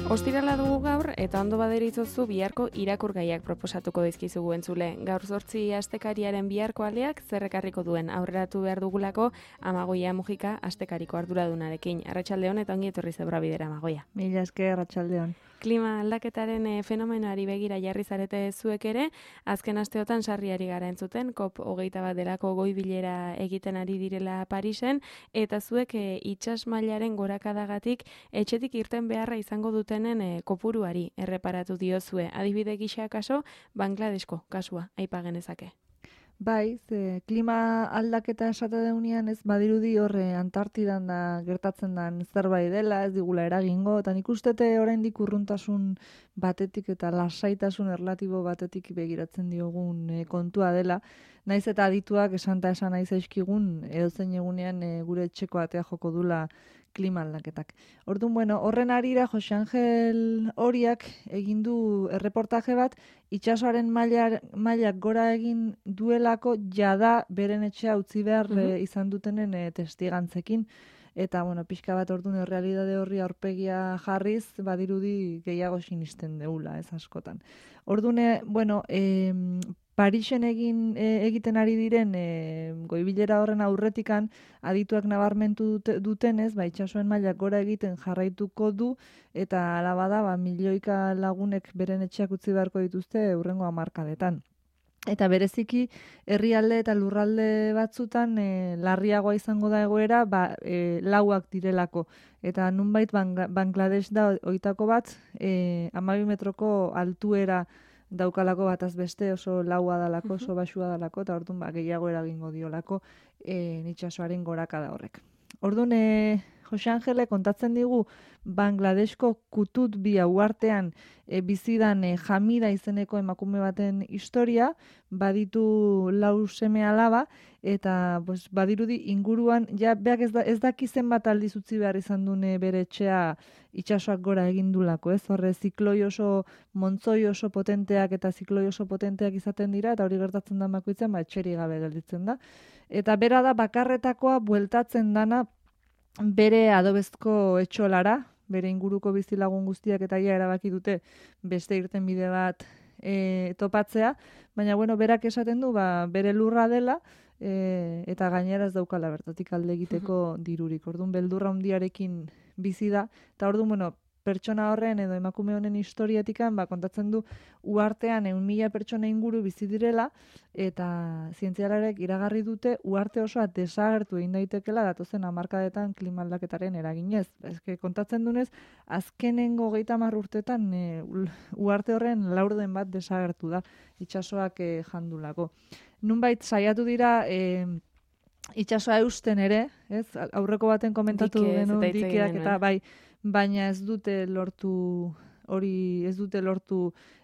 Ostirala dugu gaur eta ondo baderitzozu biharko irakurgaiak proposatuko dizkizugu entzule. Gaur 8 astekariaren biharko aleak zerrekarriko duen aurreratu behar dugulako Amagoia Mujika astekariko arduradunarekin. Arratsaldeon eta ongi etorri Zebrabidera Amagoia. Mila esker, arratsaldeon. Klima aldaketaren fenomenoari begira jarri zarete zuek ere, azken asteotan sarriari gara entzuten, COP21 delako goi bilera egiten ari direla Parisen, eta zuek itsas mailaren gorakadagatik etxetik irten beharra izango dutenen kopuruari erreparatu diozue. Adibide gisa kaso, Bangladesko kasua aipa genezake. Bai, klima aldaketa esate deunean ez badirudi horre Antartidan da gertatzen den zerbait dela, ez digula eragingo, eta nik ustete oraindik urruntasun batetik eta lasaitasun erlatibo batetik begiratzen diogun kontua dela. Naiz eta adituak esan nahi zaizkigun edozein egunean gure etxeko atea joko dula klima aldaketak. Orduan, horren arira Jose Angel Oriak egin du erreportaje bat, itsasoaren mailak gora egin duelako jada beren etxea utzi behar izan dutenen testigantzekin. Eta, pixka bat orduan errealitate horri aurpegia jarriz, badirudi gehiago sinisten deula, ez askotan. Orduan, Parisen egiten ari diren goibilera horren aurretikan adituak nabarmentu dutenez, itsasoen mailak gora egiten jarraituko du eta hala bada milioika lagunek beren etxeak utzi beharko dituzte hurrengo hamarkadetan. Eta bereziki herrialde eta lurralde batzutan larriagoa izango da egoera lauak direlako. Eta nunbait Bangladesh da hoitako bat 12 metroko altuera daukalako bataz beste, oso laua dalako, oso baxua dalako, eta orduan gehiago eragingo diolako itsasoaren gorakada horrek. Orduan, Jose Angele kontatzen digu Bangladesko Kutut bi uhartean bizidan Hamida izeneko emakume baten historia, baditu 4 seme alaba, eta badirudi inguruan, beak ez daki zenbat aldiz utzi behar izan dune bere etxea itsasoak gora egindulako, ez? Horre, zikloi oso, montzoi oso potenteak eta zikloi oso potenteak izaten dira, eta hori gertatzen da bakoitzen, etxeri gabe gelditzen da. Eta bera da bakarretakoa bueltatzen dana bere adobezko etxolara, bere inguruko bizilagun guztiak eta erabaki dute beste irtenbide bat topatzea, baina berak esaten du bere lurra dela eta gainera ez daukala bertatik alde egiteko dirurik. Orduan beldurra handiarekin bizi da, eta orduan pertsona horren edo emakume honen historiatikan kontatzen du uhartean 1.000 pertsona inguru bizi direla, eta zientzialariek iragarri dute uarte osoa desagertu egin daitekela datozen hamarkadetan klima aldaketaren eraginez. Kontatzen dunez, azkenengo 30 urtetan uarte horren laurden bat desagertu da itsasoak jandulako. Nunbait saiatu dira itsasoa eusten ere, ez? Aurreko baten komentatu denu dikeak eta baina ez dute lortu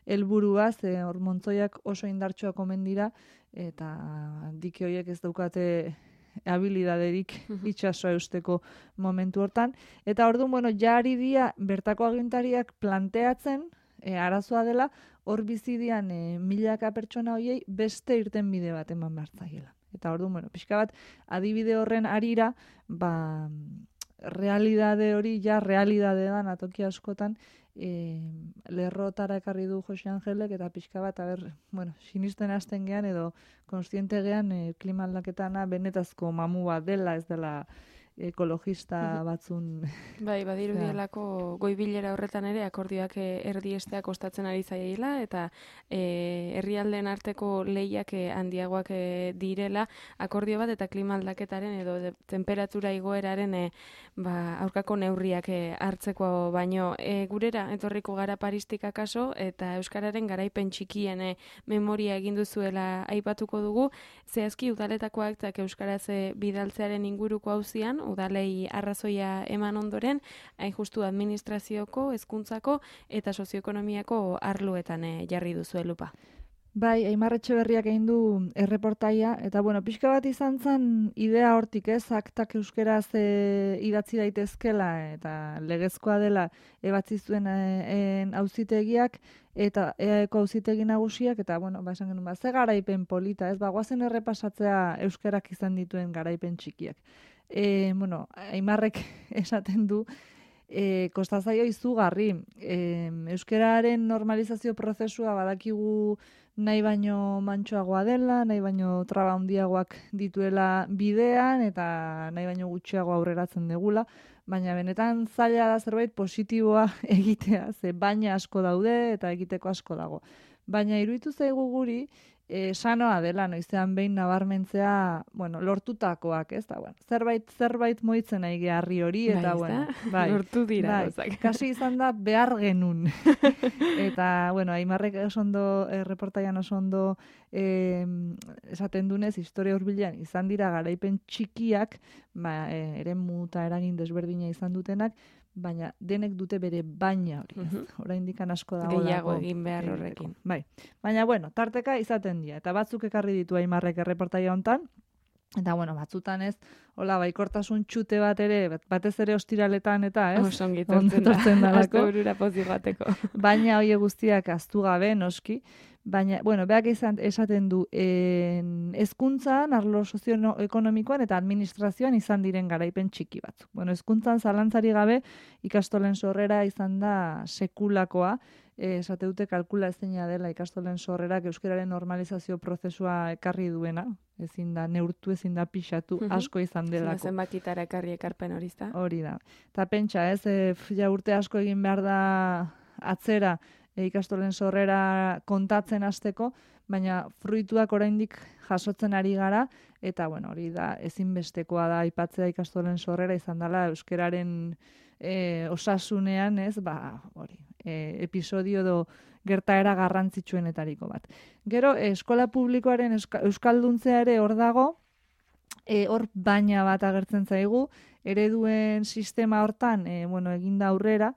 helburua, hor montzoiak oso indartsuak omen dira, eta dike horiek ez daukate habilidaderik itsasoa eusteko momentu hortan. Eta orduan, jari dia bertako agintariak planteatzen, arazoa dela, hor bizidian milaka pertsona horiei beste irtenbide bat eman behar. Eta orduan, pixka bat, adibide horren arira, realidade hori realidade da atoki askotan lerrotara ekarri du Jose Angelek, eta pixka bat sinisten hasten gean edo konstiente gean klima aldaketana benetazko mamu bat dela, ez dela ekologista batzun. Badirudielako goibilera horretan ere akordioak erdiestea kostatzen ari zaiela, eta herrialdeen arteko lehiak handiagoak direla akordio bat eta klima aldaketaren edo temperatura igoeraren aurkako neurriak hartzeko baino. Gurera etorriko gara Paristik akaso, eta euskararen garaipen txikien memoria egin duzuela aipatuko dugu. Zehazki udaletakoak eta euskaraz bidaltzearen inguruko auzian udalei arrazoia eman ondoren, hain justu administrazioko, hezkuntzako eta sozioekonomiako arloetan jarri duzue lupa. Bai, Aimar Etxeberriak egin du erreportaia, eta pixka bat izan zen idea hortik, aktak euskeraz idatzi daitezkela, eta legezkoa dela ebatzi zuen auzitegiak, eta EAeko auzitegi nagusiak, eta esan genuen, ze garaipen polita, goazen errepasatzea euskerak izan dituen garaipen txikiak. Aimarrek esaten du, kostazaio izugarri. Euskararen normalizazio prozesua badakigu nahi baino mantsoagoa dela, nahi baino traba handiagoak dituela bidean, eta nahi baino gutxiago aurreratzen degula, baina benetan zaila da zerbait positiboa egitea, ze baina asko daude eta egiteko asko dago. Baina iruditu zaigu guri, sanoa dela, noizean behin nabarmentzea, lortutakoak, ez da, zerbait moitzen nahi geharri hori, eta, lortu dira, kasi izan da behar genun. Eta, Aimarrek osondo, reportaian osondo esaten dunez, historia hurbilean izan dira garaipen txikiak, eremu eta eragin desberdina izan dutenak, baina denek dute bere baina hori. Oraindik asko dago. Gehiago egin behar horrekin. Bai. Baina, tarteka izaten dira. Eta batzuk ekarri ditu Aimarrek erreportaia hontan. Eta, batzutan ez, baikortasun txute bat ere, batez ere ostiraletan eta, ez? Osongi tortzen da. Azte burura pozik bateko. Baina hori guztiak aztu gabe, noski. Baina, beak esaten du, hezkuntzan, arlo sozioekonomikoan eta administrazioan izan diren garaipen txiki batzuk. Hezkuntzan zalantzari gabe ikastolen sorrera izan da sekulakoa, esate dute kalkula ezina dela ikastolen sorrerak euskararen normalizazio prozesua ekarri duena, ezin da neurtu, ezin da pixatu, asko izan delako. Zenbakitara ekarri ekarpen hori da. Hori da. Eta pentsa, urte asko egin behar da atzera, ikastolen sorrera kontatzen hasteko, baina fruituak oraindik jasotzen ari gara, eta hori da, ezinbestekoa da aipatzea ikastolen sorrera izan dela euskararen osasunean, episodio edo gertaera garrantzitsuenetariko bat. Gero, eskola publikoaren euskalduntza ere hor dago, hor baina bat agertzen zaigu, ereduen sistema hortan, eginda aurrera,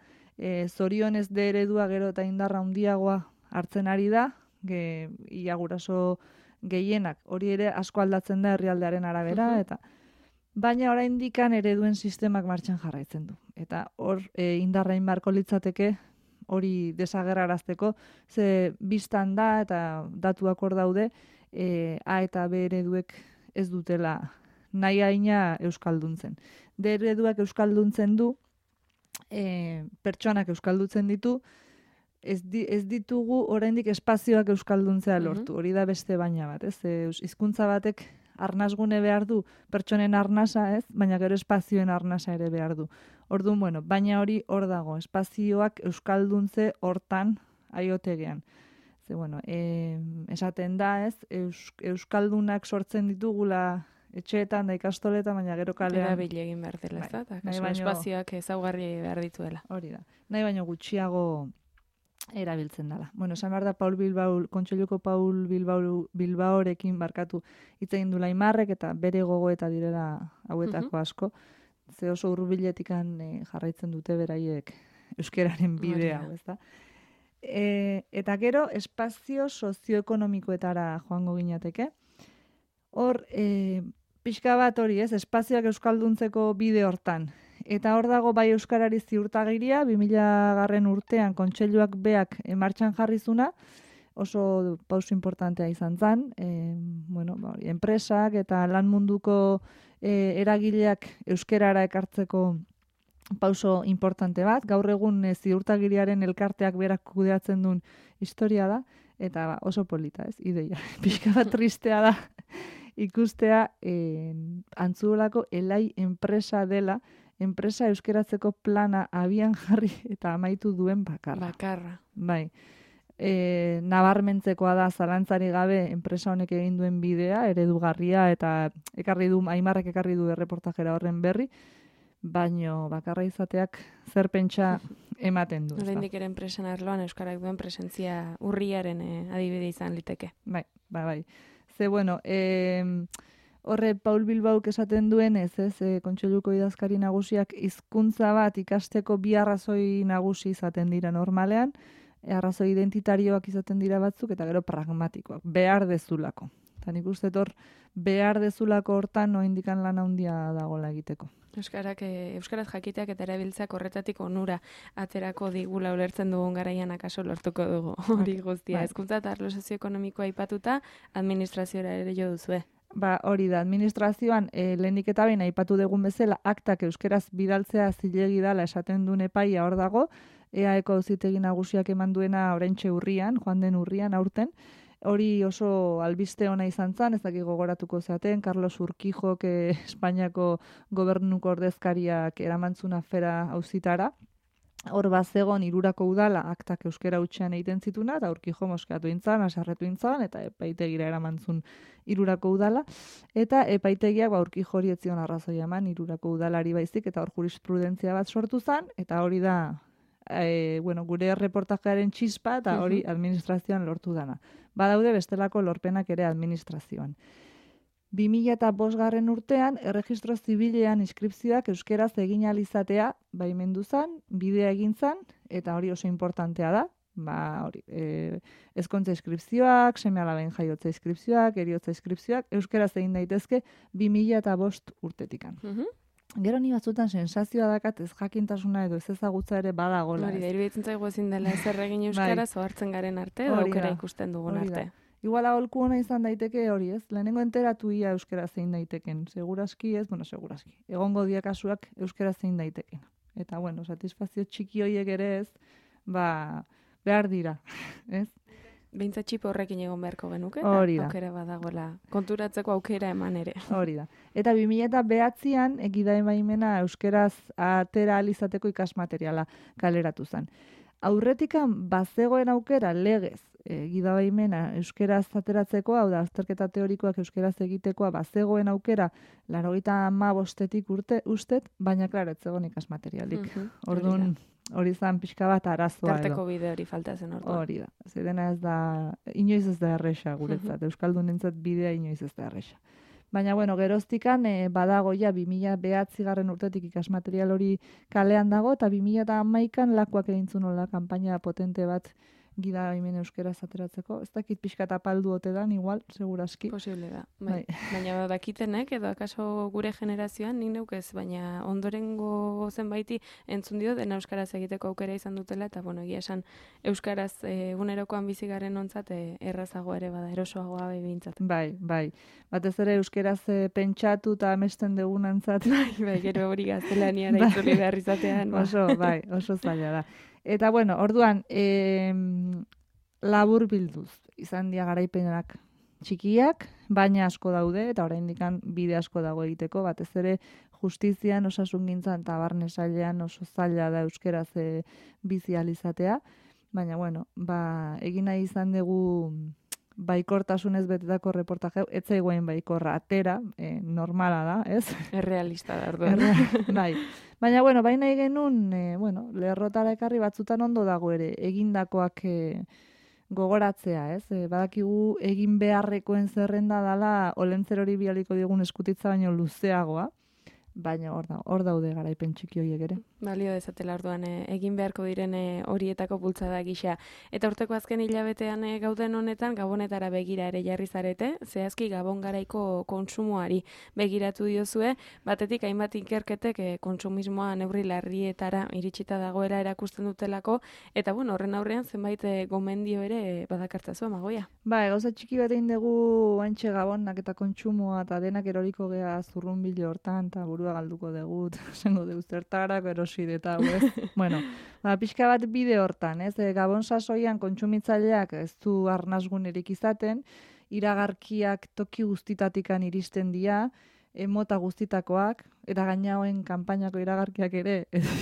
zorionez de eredua gero eta indarra handiagoa hartzen ari da, ia guraso gehienak, hori ere asko aldatzen da herrialdearen arabera, eta baina oraindik ereduen sistemak martxan jarraitzen du. Eta hor indarra inbarko litzateke hori desagerrarazteko, ze biztan da eta datuak hor daude, A eta B ereduek ez dutela nahi haina euskalduntzen. D ereduak euskalduntzen du, pertsonak euskaldutzen ditu, ez ditugu oraindik espazioak euskalduntzea lortu. Hori da beste baina bat, ez? Hizkuntza batek arnasgune behar du, pertsonen arnasa, ez? Baina gero espazioen arnasa ere behar du. Orduan, baina hori hor dago, espazioak euskalduntze hortan aiotegean. Ze, esaten da, ez? Euskaldunak sortzen ditugula etxeetan da ikastoletan, baina gero kalean. Erabili egin behar dela, ez da? Espazioak ezaugarri behar dituela. Hori da. Nahi baino gutxiago erabiltzen dela. Esan behar da Kontseiluko Paul Bilbaorekin barkatu hitz egin dula Aimarrek eta bere gogoeta direla hauetako asko. Ze oso hurbiletikan jarraitzen dute beraiek euskararen bidea, ez da? Eta gero, espazio sozioekonomikoetara joango ginateke. Hor, pixka bat hori, ez, espazioak euskalduntzeko bide hortan. Eta hor dago bai euskarari ziurtagiria, 2000 urtean kontseiluak beak martxan jarrizuna, oso pauso importantea izan zen, enpresak eta lan munduko eragileak euskarara ekartzeko pauso importante bat. Gaur egun ziurtagiriaren elkarteak berak kudeatzen duen historia da, eta oso polita, ez, ideia. Pixka bat tristea da ikustea Antzuolako Elai enpresa dela, enpresa euskeratzeko plana abian jarri eta amaitu duen bakarra. Bai. Nabarmentzekoa da zalantzari gabe enpresa honek egin duen bidea, eredugarria, eta Aimarrek ekarri du erreportajera horren berri, baino bakarra izateak zer pentsa ematen du. Oraindik ere enpresan arloan euskarak duen presentzia urriaren adibide izan liteke. Bai. Ze, horre Paul Bilbauk esaten duen ez, Kontseiluko idazkari nagusiak hizkuntza bat ikasteko bi arrazoi nagusi izaten dira normalean, arrazoi identitarioak izaten dira batzuk, eta gero pragmatikoak, behar dezulako. Eta nik uste hor, behar dezulako hortan indikan lan handia dagoela egiteko. Euskaraz jakiteak eta erabiltzeak horretatik onura aterako digula ulertzen dugun garaian akaso lortuko dugu hori guztia. Hezkuntza eta arlo sozioekonomikoa aipatuta administraziora ere jo duzue. Ba, hori da, administrazioan lehenik eta behin aipatu dugun bezala aktak euskeraz bidaltzea zilegi dala esaten duen epaia hor dago, EAeko auzitegi nagusiak eman duena oraintxe urrian, joan den urrian aurten, hori oso albiste ona izan zen, ez dakik gogoratuko zaten, Carlos Urquijok Espainiako gobernuko ordezkariak eramantzun afera auzitara, hor bazegon irurako udala aktak euskera hutsean egiten zituna, eta Urquijo moskeatu intzan, asarretu intzan, eta epaitegira eramantzun irurako udala, eta epaitegiak Urquijo hori etzion arrazoia eman irurako udalari baizik, eta hor jurisprudentzia bat sortu zen, eta hori da gure reportajearen txispa, eta hori administrazioan lortu dana. Badaude bestelako lorpenak ere administrazioan. 2005 urtean, erregistro zibilean inskripzioak euskeraz egin alizatea baimendu zan, bidea egin zan, eta hori oso importantea da. Ezkontza inskripzioak, seme-alaben jaiotza inskripzioak, eriotza inskripzioak, euskeraz egin daitezke 2005 urtetikan. Gero ni batzutan sensazioa dakat ez jakintasuna edo ez ezagutza ere badagola. Hori da, iruditzen zaigu ezin dela ezer egin euskaraz ohartzen garen arte, edo aukera ikusten dugun arte. Igual aholku ona izan daiteke hori, ez? Lehenengo enteratu ia euskera zein daiteken. Seguraski ez, seguraski. Egongo dia kasuak euskera zein daiteken. Eta, satisfazio txiki horiek ere ez, behar dira, ez? Behintzat txipo horrekin egon beharko genuke, aukera badagoela konturatzeko aukera eman ere. Hori da. Eta 2009an egida emaimena euskeraz atera alizateko ikasmateriala kaleratu zen. Aurretikan bazegoen aukera legez gidabaimena euskeraz ateratzeko, hau da, azterketa teorikoak euskeraz egitekoa, bazegoen aukera 95etik ustet, baina klaro, ez zegoen ikasmaterialik. Orduan, hori zan pixka bat arazoa edo. Tarteko bide hori falta zen orduan. Hori da. Zedena ez da, inoiz ez da erresa guretzat, euskaldunentzat bidea inoiz ez da erresa. Baina, geroztikan badago ja 2009 urtetik ikasmaterial hori kalean dago, eta 2011an lakuak egintzun hola kanpaina potente bat gida hemen euskeraz ateratzeko. Ez dakit pixka tapaldu ote dan, igual, seguraski. Posible da. Baina dakitenek, edo akaso gure generazioan, nik neukez, baina ondorengo zenbaiti entzun dio, dena euskaraz egiteko aukera izan dutela, eta egia esan euskaraz egunerokoan bizi garen ontzat errazago ere bada, erosoagoa behintzat. Bai. Batez ere euskeraz pentsatu eta amesten degunantzat. Bai, gero hori gaztelaniara itzuli behar izatean. Oso zaila da. Eta orduan, labur bilduz, izan dia garaipenak txikiak, baina asko daude, eta oraindikan bide asko dago egiteko, batez ere justizian, osasungintzan eta barne sailean oso zaila da euskeraz bizi alizatea, baina egin nahi izan dugu baikortasunez betetako reportaje, ez zaigoen baikorra atera, normala da, ez? Errealista da, orduan. Bai. Baina, bai nahi genuen, lerrotara ekarri batzutan ondo dago ere, egindakoak gogoratzea, ez? Badakigu egin beharrekoen zerrenda dala, olentzer hori bialiko digun eskutitza baino luzeagoa, baina hor daude garaipen txiki horiek ere. Balio dezatela orduan egin beharko diren horietako bultzada gisa. Eta urteko azken hilabetean gauden honetan, Gabonetara begira ere jarri zarete, zehazki Gabon garaiko kontsumoari begiratu diozue, batetik hainbat ikerketek kontsumismoa neurri larrietara iritsita dagoela erakusten dutelako, eta horren aurrean zenbait gomendio ere badakartzazu Amagoia. Gauza txiki bat egin dugu antxe Gabonak eta kontsumoa eta denak eroriko gea zurrunbilo hortan, eta burua galduko dugu, esango dugu zertarako erosi eta pixka bat bide hortan, ez? Gabon sasoian kontsumitzaileak ez du arnasgunerik izaten, iragarkiak toki guztitatikan iristen dira, mota guztitakoak, eta gainaoen kanpainako iragarkiak ere.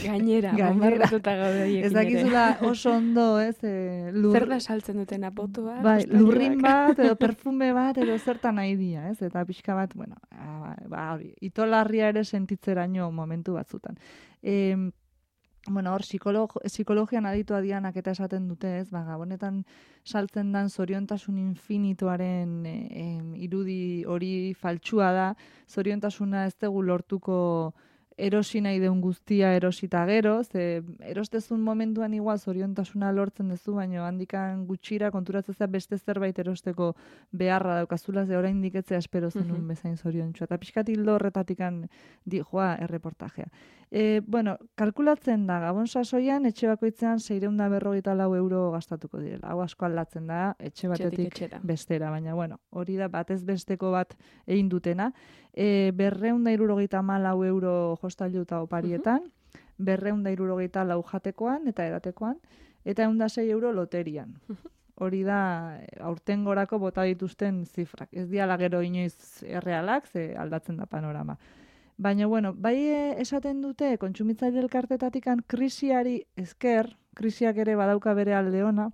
Gainera. Bombardetuta gaude hiekin ere. Ez dakizula oso ondo, ez? Zer da saltzen duten apotua? Lurrin bat, edo perfume bat, edo zertan nahi dira, ez? Eta pixka bat, hori, itolarria ere sentitzeraino momentu batzutan. Hor, psikologian aditua dianak eta esaten dute, ez? Gabonetan saltzen dan zoriontasun infinituaren irudi hori faltsua da, zoriontasuna ez dugu lortuko erosi nahi deun guztia erosita gero, ze erostezun momentuan igual zoriontasuna lortzen duzu, baina handikan gutxira konturatzea beste zerbait erosteko beharra daukazula, ze oraindik etzea espero zenun bezain zoriontsu. Eta pixkat hildo horretatikan joa erreportajea. Bueno, kalkulatzen da, Gabon sasoian etxe bakoitzean 654 euro gastatuko direla. Hau asko aldatzen da, etxe batetik bestera, baina bueno, hori da batez besteko bat egin dutena. 274 euro jostailu eta oparietan, 274 jatekoan eta edatekoan, eta 106 euro loterian. Hori da aurtengorako bota dituzten zifrak. Ez diala gero inoiz errealak, ze aldatzen da panorama. Baina, bueno, bai esaten dute, kontsumitzaile elkartetatikan krisiari esker, krisiak ere badauka bere alde ona,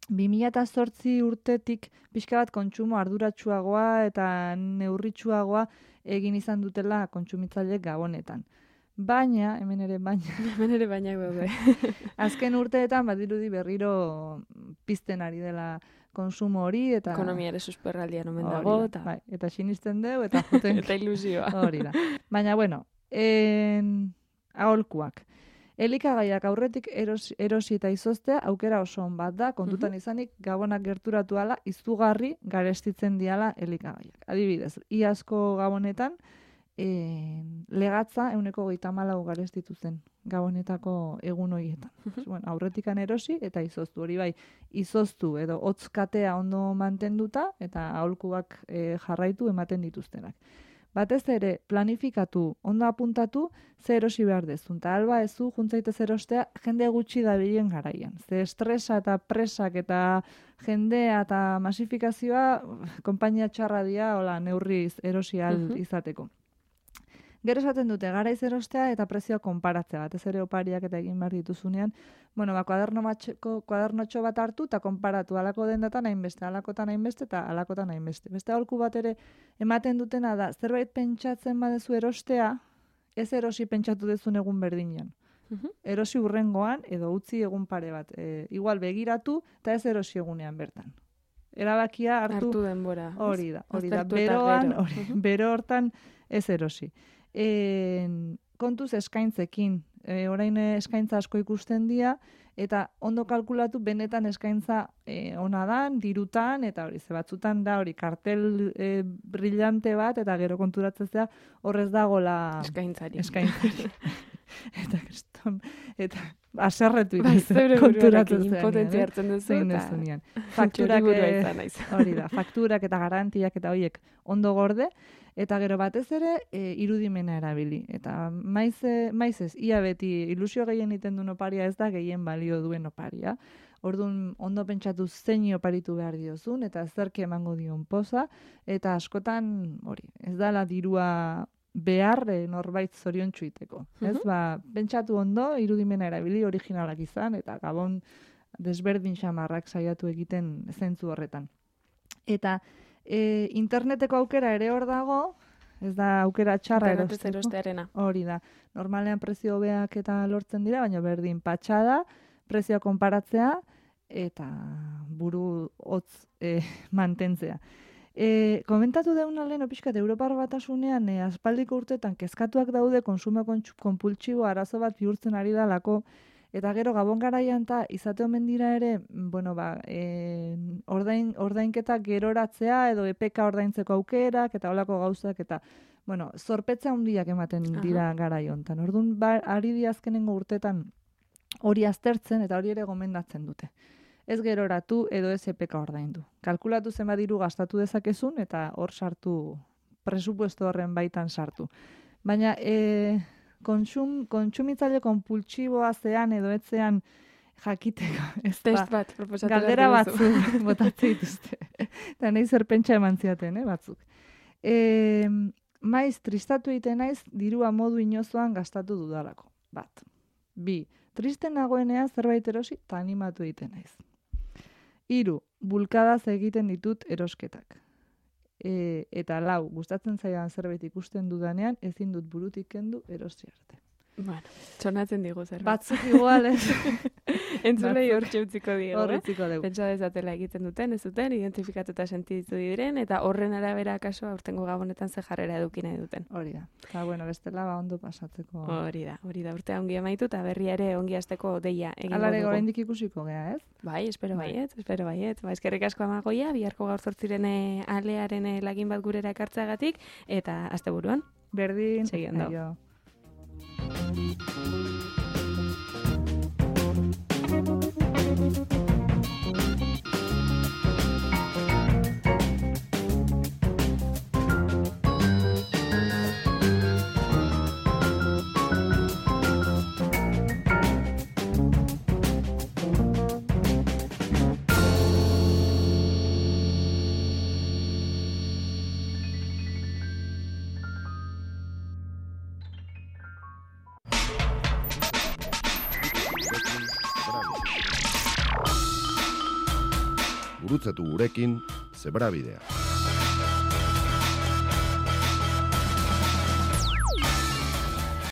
2008 urtetik pixka bat kontsumo arduratsuagoa eta neurritsuagoa egin izan dutela kontsumitzaileek Gabonetan. Baina, hemen ere baina gaude. Azken urteetan badirudi berriro pizten ari dela konsumo hori eta ekonomia ere susperraldian omen dago eta bai, eta sinisten deu eta joten eta ilusioa. Hori da. Baina bueno, aholkuak. Elikagaiak aurretik erosi eta izoztea aukera oso on bat da, kontutan izanik Gabonak gerturatu ala izugarri garestitzen diala elikagaiak. Adibidez, iazko Gabonetan legatza 134 garestitu zen Gabonetako egun horietan. Bueno, aurretikan erosi eta izoztu. Hori bai, izoztu edo hotzkatea ondo mantenduta eta aholkuak jarraitu ematen dituztenak. Batez ere, planifikatu, ondo apuntatu, ze erosi behar dezun. Ta alba ezu, juntzaitez erostea, jende gutxi dabilen garaian. Ze estresa eta presak eta jendea eta masifikazioa, konpainia txarra dia, hola, neurriz erosi izateko. Gero esaten dute, garaiz erostea eta prezioa konparatzea, batez ere opariak eta egin behar dituzunean, bueno, kuadernotxo bat hartu eta konparatu alako dendatan hainbeste, alakotan hainbeste eta alakotan hainbeste. Beste aholku bat ere ematen dutena da, zerbait pentsatzen badezu erostea, ez erosi pentsatu dezun egun berdinean. Erosi urrengoan edo utzi egun pare bat. Igual begiratu eta ez erosi egunean bertan. Erabakia hartu denbora. Hori da. Beroan, bero hortan ez erosi. Kontuz eskaintzekin, orain eskaintza asko ikusten dira, eta ondo kalkulatu benetan eskaintza ona dan, dirutan, eta hori, ze batzutan da hori kartel brillante bat, eta gero konturatzea horrez dagola eskaintzari. Eta aserretu ikusten konturatzen zean. Impotentzia hartzen duzu eta fakturak eta garantiak eta horiek ondo gorde, eta gero batez ere irudimena erabili. Eta maiz ez, ia beti ilusio gehien iten duen oparia ez da gehien balio duen oparia. Orduan ondo pentsatu zein oparitu behar diozun, eta zerke emango dion poza, eta askotan hori, ez dala dirua behar norbait zoriontsu iteko. Ez, pentsatu ondo, irudimena erabili originalak izan, eta Gabon desberdin xamarrak saiatu egiten zentzu horretan. Eta interneteko aukera ere hor dago, ez da aukera txarra erostearena. Hori da. Normalean prezio hobeak eta lortzen dira, baina berdin patxada, prezioa konparatzea, eta buru hotz mantentzea. Komentatu deuna lehen opiskat Europar Batasunean aspaldiko urtetan kezkatuak daude konsumo konpultsibo arazo bat bihurtzen ari dalako, eta gero Gabon garaian eta izate omen dira ere, bueno, ordainketa geroratzea edo EPK ordaintzeko aukerak eta holako gauzak eta bueno, zorpetza handiak ematen dira garai hontan. Orduan ari di azkenengo urtetan hori aztertzen eta hori ere gomendatzen dute. Ez geroratu edo ez EPK ordaindu. Kalkulatu zenbat diru gastatu dezakezun eta hor sartu, presupuesto horren baitan sartu. Baina kontsumitzaile konpultsiboa zean edo etzean jakiteko. Test bat proposatu galdera batzuk botatze dituzte. Eta nahi zer pentsa eman ziaten, batzuk. Maiz, tristatu egiten naiz, dirua modu inozoan gastatu dudalako. Bat. 2. Triste nagoenean zerbait erosi eta animatu egiten naiz. 3. Bulkadaz egiten ditut erosketak. Eta 4. Gustatzen zaidan zerbait ikusten dudanean, ezin dut burutik kendu erosi arte. Bueno, txonatzen digu zer. Batzuk igual ez. Entzulei hor txeutziko digu, Horretziko dugu. Pentsa dezatela egiten duten, ez duten, identifikatuta sentitu diren, eta horren arabera kaso aurtengo gabonetan ze jarrera eduki nahi duten. Hori da. Eta, bueno, bestela ondo pasatzeko. Hori da, urtea ongi amaitu, eta berria ere ongi hasteko deia egingo dugu. Alare oraindik ikusiko gea, ez? Bai, espero baiet. Ba, eskerrik asko Amagoia, biharko gaur 8 alearen lagin bat gurera ekartzeagatik, eta asteburuan. Berdin, Segi ondo. aio. Gurutzatu gurekin Zebrabidea.